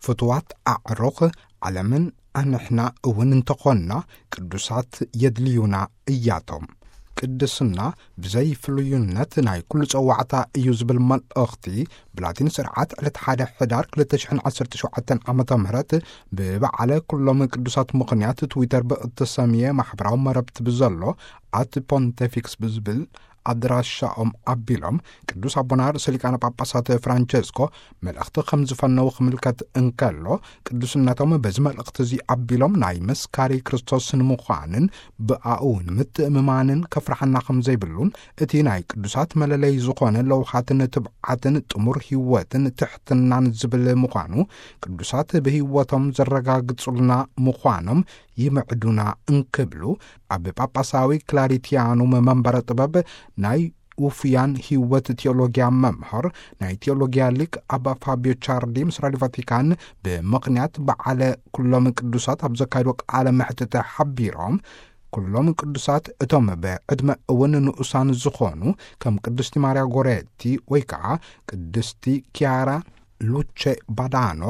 ፍትዋት ኣዕሩኽ ዓለምን ኣንሕና እውን እንተኾንና ቅዱሳት የድልዩና እያቶም። ቅድስና ብዘይ ፍሉይነት ናይ ኩሉ ጸዋዕታ እዩ ዝብል መልእኽቲ ብላቲን ስርዓት ዕለት ሓደ ሕዳር ክልተ ሽሕን ዓሰርተ ሸውዓተን ዓመተ ምህረት ብበዓለ ኩሎም ቅዱሳት ምኽንያት ትዊተር ብእተሰምየ ማሕበራዊ መረብቲ ብዘሎ ኣት ፖንቴፊክስ ብዝብል ኣድራሻኦም ኣቢሎም ቅዱስ ኣቦና ርእሰ ሊቃነ ጳጳሳት ፍራንቸስኮ መልእኽቲ ከም ዝፈነው ክምልከት እንከሎ፣ ቅዱስነቶም በዚ መልእኽቲ እዚ ኣቢሎም ናይ መስካሪ ክርስቶስ ንምዃንን ብኣኡ ንምትእምማንን ከፍርሓና ከም ዘይብሉን እቲ ናይ ቅዱሳት መለለይ ዝኾነ ለውሃትን ትብዓትን ጥሙር ህይወትን ትሕትናን ዝብል ምዃኑ ቅዱሳት ብህይወቶም ዘረጋግጹልና ምዃኖም ይምዕዱና እንክብሉ ኣብ ጳጳሳዊ ክላሪቲያኑም መንበረ ጥበብ ናይ ውፉያን ህይወት ቴዎሎጊያ መምህር ናይ ቴዎሎጊያ ሊቅ ኣባ ፋቢዮ ቻርዲ ምስ ራዲዮ ቫቲካን ብምኽንያት በዓለ ኩሎም ቅዱሳት ኣብ ዘካይዶ ቃለ መሕትት ሓቢሮም፣ ኩሎም ቅዱሳት እቶም ብዕድመ እውን ንኡሳን ዝኾኑ ከም ቅድስቲ ማርያ ጎሬቲ ወይ ከዓ ቅድስቲ ኪያራ ሉቼ ባዳኖ፣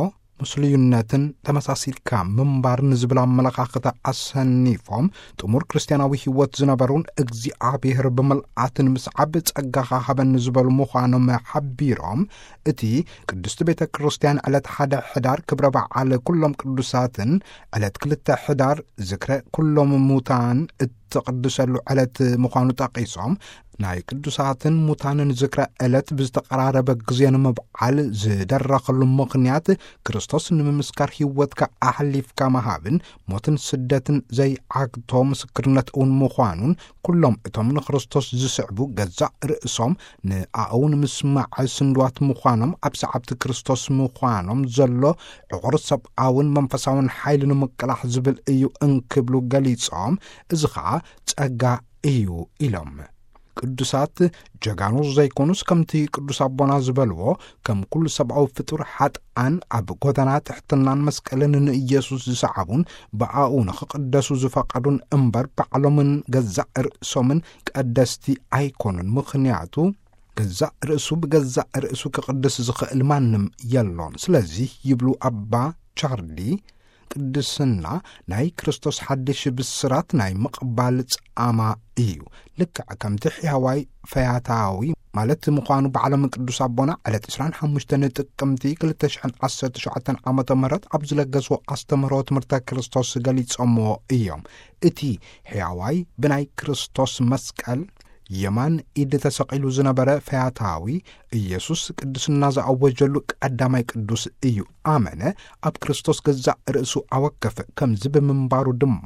ምስሉይነትን ተመሳሲልካ ምንባር ንዝብል ኣመለኻኽታ ኣሰኒፎም፣ ጥሙር ክርስትያናዊ ህይወት ዝነበሩን እግዚኣብሔር ብምልኣት ንምስዓብ ጸጋኻ ሃበኒ ዝበሉ ምዃኖም ሓቢሮም፣ እቲ ቅድስቲ ቤተ ክርስቲያን ዕለት ሓደ ሕዳር ክብረ በዓል ኩሎም ቅዱሳትን ዕለት ክልተ ሕዳር ዝክረ ኩሎም ሙታን እትቕድሰሉ ዕለት ምዃኑ ጠቒሶም፣ ናይ ቅዱሳትን ሙታንን ዝክረ ዕለት ብዝተቐራረበ ግዜ ንምብዓል ዝደረኸሉ ምኽንያት፣ ክርስቶስ ንምምስካር ህይወትካ ኣሕሊፍካ ምሃብን ሞትን ስደትን ዘይዓግቶ ምስክርነት እውን ምዃኑን፣ ኩሎም እቶም ንክርስቶስ ዝስዕቡ ገዛእ ርእሶም ንኣኡ ንምስማዕ ስንድዋት ምዃኖም ኣብ ሰዓብቲ ክርስቶስ ምዃኖም ዘሎ ዕቑር ሰብኣውን መንፈሳውን ሓይሊ ንምቅላሕ ዝብል እዩ እንክብሉ ገሊጾም፣ እዚ ኸኣ ጸጋ እዩ ኢሎም። ቅዱሳት ጀጋኑ ዘይኮኑስ፣ ከምቲ ቅዱስ ኣቦና ዝበልዎ፣ ከም ኩሉ ሰብኣዊ ፍጡር ሓጥኣን ኣብ ጎደና ትሕትናን መስቀልን ንኢየሱስ ዝሰዓቡን ብኣኡ ንኽቕደሱ ዝፈቐዱን እምበር፣ ባዕሎምን ገዛእ ርእሶምን ቀደስቲ ኣይኮኑን። ምኽንያቱ፣ ገዛእ ርእሱ ብገዛእ ርእሱ ክቕድስ ዝኽእል ማንም የሎን። ስለዚ ይብሉ ኣባ ቻርዲ፣ ቅድስና ናይ ክርስቶስ ሓድሽ ብስራት ናይ ምቕባል ጻማ እዩ። ልክዕ ከምቲ ሕያዋይ ፈያታዊ ማለት ምዃኑ ባዕሎም ቅዱስ ኣቦና ዕለት ዕስራን ሓሙሽተን ጥቅምቲ ክልተ ሽሕን ዓሰርተ ሸውዓተን ዓመተ ምህረት ኣብ ዝለገስዎ ኣስተምህሮ ትምህርተ ክርስቶስ ገሊጾምዎ እዮም። እቲ ሕያዋይ ብናይ ክርስቶስ መስቀል የማን ኢድ ተሰቒሉ ዝነበረ ፈያታዊ፣ ኢየሱስ ቅድስና ዝኣወጀሉ ቀዳማይ ቅዱስ እዩ። ኣመነ፣ ኣብ ክርስቶስ ገዛእ ርእሱ ኣወከፈ። ከምዚ ብምንባሩ ድማ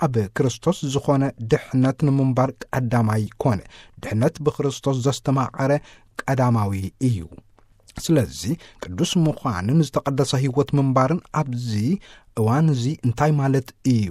ኣብ ክርስቶስ ዝኾነ ድሕነት ንምንባር ቀዳማይ ኮነ። ድሕነት ብክርስቶስ ዘስተማቐረ ቀዳማዊ እዩ። ስለዚ ቅዱስ ምዃንን ዝተቐደሰ ህይወት ምንባርን ኣብዚ እዋን እዚ እንታይ ማለት እዩ?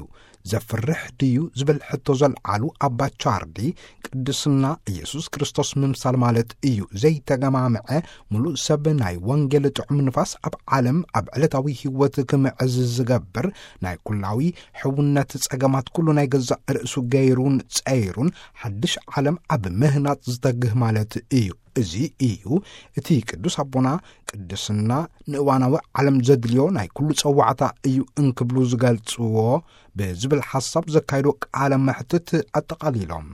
ዘፍርሕ ድዩ? ዝብል ሕቶ ዘልዓሉ ኣባ ቻርዲ፣ ቅድስና ኢየሱስ ክርስቶስ ምምሳል ማለት እዩ። ዘይተገማምዐ ምሉእ ሰብ ናይ ወንጌል ጥዑም ንፋስ ኣብ ዓለም ኣብ ዕለታዊ ህይወት ክምዕዝ ዝገብር፣ ናይ ኩላዊ ሕውነት ጸገማት ኩሉ ናይ ገዛእ ርእሱ ገይሩን ጸይሩን ሓድሽ ዓለም ኣብ ምህናጽ ዝተግህ ማለት እዩ። እዚ እዩ እቲ ቅዱስ ኣቦና ቅድስና ንእዋናዊ ዓለም ዘድልዮ ናይ ኩሉ ጸዋዕታ እዩ እንክብሉ ዝገልጽዎ ብዝብል ሓሳብ ዘካይዶ ቃለ መሕትት ኣጠቓሊሎም።